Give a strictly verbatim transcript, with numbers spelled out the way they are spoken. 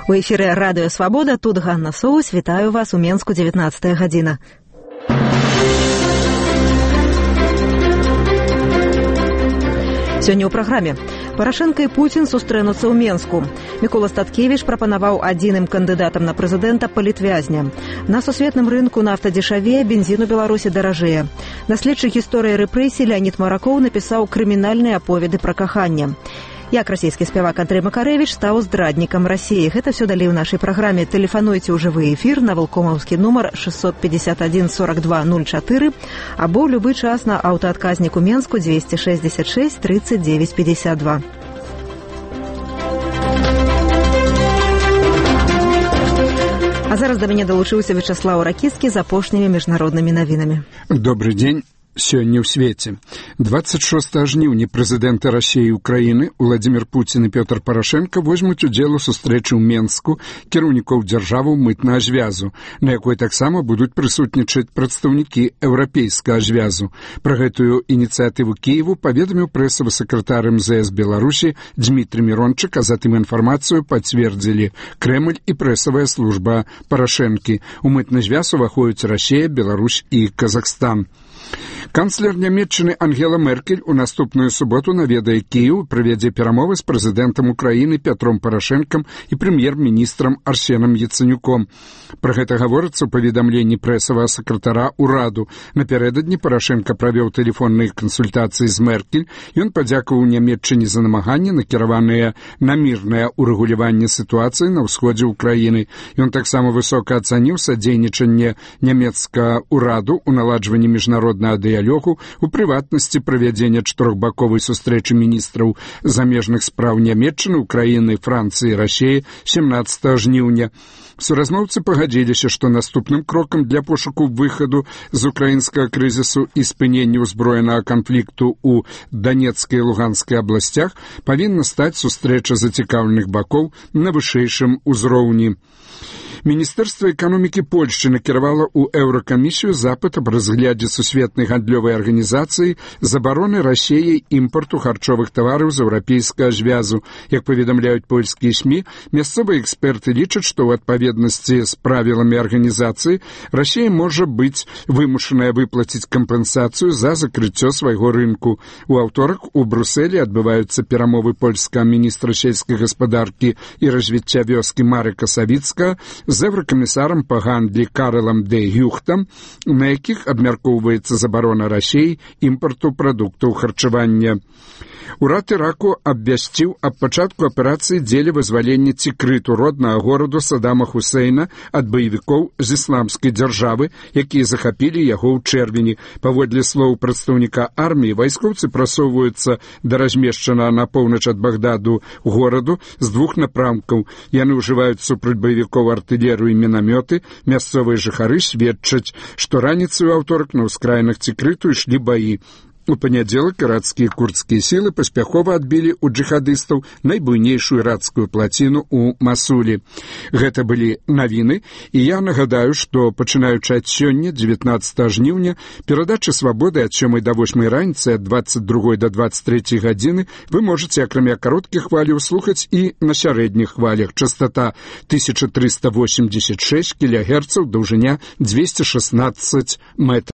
У эфіры Радыё Свабода, тут Ганна Соус, вітаю вас у Менску, дзевятнадцатая гадзіна. Сёння ў праграме. Парашенка і Пуцін сустрэнуцца ў Менску. Мікола Статкевіч прапанаваў адзіным кандыдатам на прэзідэнта палітвязня. На сусветным рынку нафта дзешавее, бензін у Беларусі даражэе. Даследчык гісторыі рэпрэсій Леонід Маракоў напісаў крымінальныя аповеды пра каханне. Як расійскі спявак Андрэй Макарэвіч стаў здраднікам Расіі. Гэта все далей у нашай праграме. Тэлефануйце ў жывы эфір на валкомаўскі нумар шестьсот пятьдесят один сорок два ноль четыре або ў любы час на аўтаадказніку Менску двести шестьдесят шесть тридцать девять пятьдесят два. А зараз да мяне далучыўся Вячаслаў Ракіцкі з апошнімі міжнароднымі навінамі. Добрый дзень. Сёння ў свеце. двадцать шостага жніўня прэзідэнты Расіі і Украіны Владзімір Пуцін і Пётр Парашенка возьмуць удзел у сустрэчы ў Менску кіраўнікоў дзяржаваў мытнага звязу, на якой таксама будуць прысутнічаць прадстаўнікі еўрапейскага звязу. Пра гэтую ініцыятыву Кіеву паведаміў прэсавы сакратар эм зэ эс Беларусі Дмітрый Мірончык, а затым інфармацыю пацвердзілі Крэмль і прэсавая служба Парашэнкі. У мытны звяз уваходзяць Расія, Беларусь і Казахстан. Канцлер Нямецчыны Ангела Меркель у наступную суботу наведае Кіеў і правядзе перамовы з прэзідэнтам Украіны Пятром Парашэнкам і прэм'ер-міністрам Арсенам Яцэнюком. Пра гэта гаворыцца ў паведамленні прэсавага сакратара ўраду. Напярэдадні Парашэнка правёў тэлефонныя кансультацыі з Меркель. Ён падзякаваў Нямецчыне за намаганні, накіраваныя на мірнае ўрэгуляванне сітуацыі на ўсходзе ўкраіны. Ён таксама высока ацаніў садзейнічанне нямецкага ўраду ў наладжванні міжнароднага дыялогу, у прыватнасці правядзення чатырохбаковай сустрэчы міністраў замежных спраў Нямецчыны, Украіны, Францыі і Расіі семнадцатага жніўня. Суразмоўцы пагадзіліся, што наступным крокам для пошуку выхаду з украінскага крызісу і спынення ўзброенага канфлікту ў Данецкай і Луганскай абласцях павінна стаць сустрэча зацікаўленых бакоў на вышэйшым узроўні. Міністэрства эканомікі Польшчы накіравала ў Еўракамісію запыт аб разглядзе сусветнай гандлёвай арганізацыі забароны Расіяй імпарту харчовых тавараў з еўрапейскага звязу. Як паведамляюць польскія СМІ, мясцовыя эксперты лічаць, што ў адпаведнасці з правіламі арганізацыі Расія можа быць вымушаная выплаціць кампенсацыю за закрыццё свайго рынку. У аўторак у Брусэлі адбываюцца перамовы польскага міністра сельскай гаспадаркі і развіцця вёскі Марыка Савіцкага з еўракамісарам па гандлі Карэлам дэ Гюхтам, на якіх абмяркоўваецца забарона Расіі імпарту прадуктаў харчавання. Урад Іраку абвясціў аб пачатку аперацыі дзеля вызвалення Цікрыту, роднага гораду Садама Хусейна, ад баевікоў з ісламскай дзяржавы, якія захапілі яго ў чэрвені. Паводле слоў прадстаўніка арміі, вайскоўцы прасоўваюцца да размешчанага на поўнач ад Багдаду гораду з двух напрамкаў. Яны ўжываюць супраць баевікоў артылерыю і мінамёты. Мясцовыя жыхары сведчаць, што раніцай у аўторак на ўскраінах Цікрыту ішлі баі. У панядзелак ірацкія курдскія сілы паспяхова адбілі ў джыхадыстаў найбуйнейшую ірацкую плаціну ў Масулі. Гэта былі навіны, і я нагадаю, што пачынаючы ад сёння, дзевятнадцатага жніўня, перадачы «Свабоды» ад сёмай да восьмай раніцы, ад двадцать другой да двадцать трэцяй гадзіны вы можаце, акрамя кароткіх хваляў, слухаць і на сярэдніх хвалях. Частота тысяча триста восемьдесят шесть кілогерцаў, даўжыня двести шестнадцать метров.